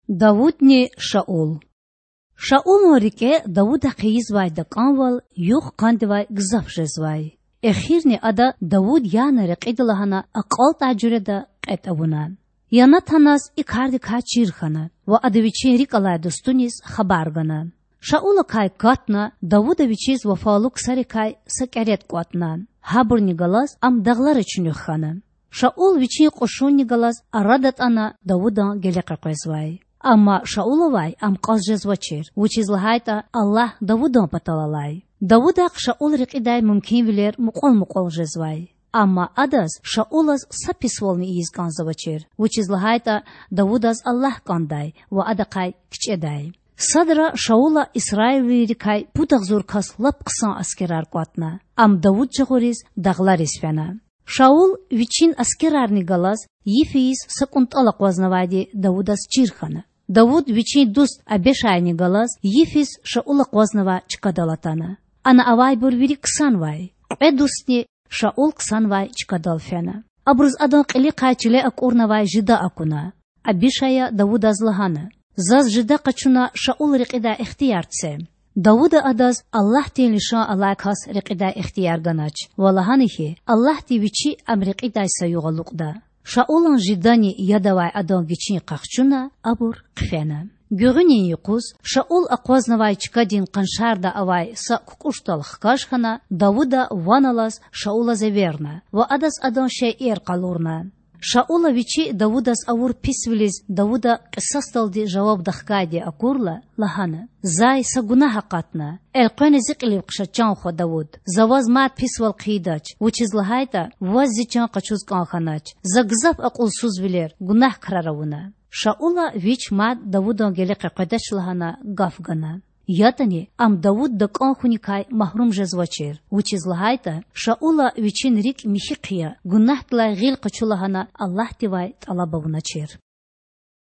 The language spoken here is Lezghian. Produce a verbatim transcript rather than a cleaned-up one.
Давудни Шаул. Шаулан рикІе Давудахъ ийизвай дакІанвал югъ-къандивай гзаф жезвай. Эхирни ада Давуд яна рекьида лагьана акьалтІай жуьреда кьетІ авуна. Янатаназ и кардикай чир хьана ва ада вичин рикІ алай дустуниз хабар гана. Шаулакай катна Давуда вичиз вафалу ксарикай са кІеретІ кІватІна. Гьабурни галаз ам дагълара чуьнуьх хьана. Шаул вичин кьушунни галаз ара датІана Давудан геле къекъвезвай. Амма Шаулавай ам кьаз жезвачир, вучиз лагьайтІа Аллагь Давудан патал алай. Давудахъ Шаул рекьидай мумкинвилер мукьвал-мукьвал жезвай. Амма адаз Шаулаз са писвални ийиз кІанзавачир, вучиз лагьайтІа Давудаз Аллагь кІандай ва адахъай кичІедай. Садра Шаула исраилвийрикай пуд агъзур кас лап хъсан аскерар кІватІна. Ам Давуд жагъуриз дагълариз фена. Шаул вичин аскерарни галаз йиф ийиз са кІунтІал акъвазнавайди Давудаз чир хьана. Давуд вичин дуст Абишайни галаз йифиз Шаул акъвазнавай чкадал атана. Ана авайбур вири ксанвай. Кьве дустни Шаул ксанвай чкадал фена. Абуруз адан кьилихъай чиле акІурнавай жида акуна. Абишая Давудаз лагьана: Заз жида къачуна Шаул рекьидай ихтияр це. Давуда адаз Аллагьдин лишан алай кас рекьидай ихтияр ганач ва лагьана хьи, Аллагьди Вичи ам рекьидай са югъ алукьда. Шаулан жидани яд авай адан гичин къахчуна абур хъфена. Гуьгъуьнин юкъуз Шаул акъвазнавай чкадин къаншарда авай са кукІушдал хкаж хьана, Давуда ван алаз Шаулаз эверна ва адаз адан шейэр къалурна. Шаула вичи Давудаз авур писвилиз Давуда кьисасдалди жаваб дахкайди акурла, лагьана: Зай са гунагь акъатна. Элкъвена зи кьилив хъша, чан хва Давуд. За ваз мад писвал хъийидач, вучиз лагьайтІа ваз зи чан къачуз кІан хьанач. За гзаф акьулсузвилер, гунагь крар авуна. Шаула вич мад Давудан геле къекъведач лагьана гаф гана. ЯтІани ам Давуд дакІан хьуникай магьрум жезвачир, вучиз лагьайтІа Шаула вичин рикІ михьи хъия, гунагьдилай гъил къачу лагьана Аллагьдивай тІалаб авуначир.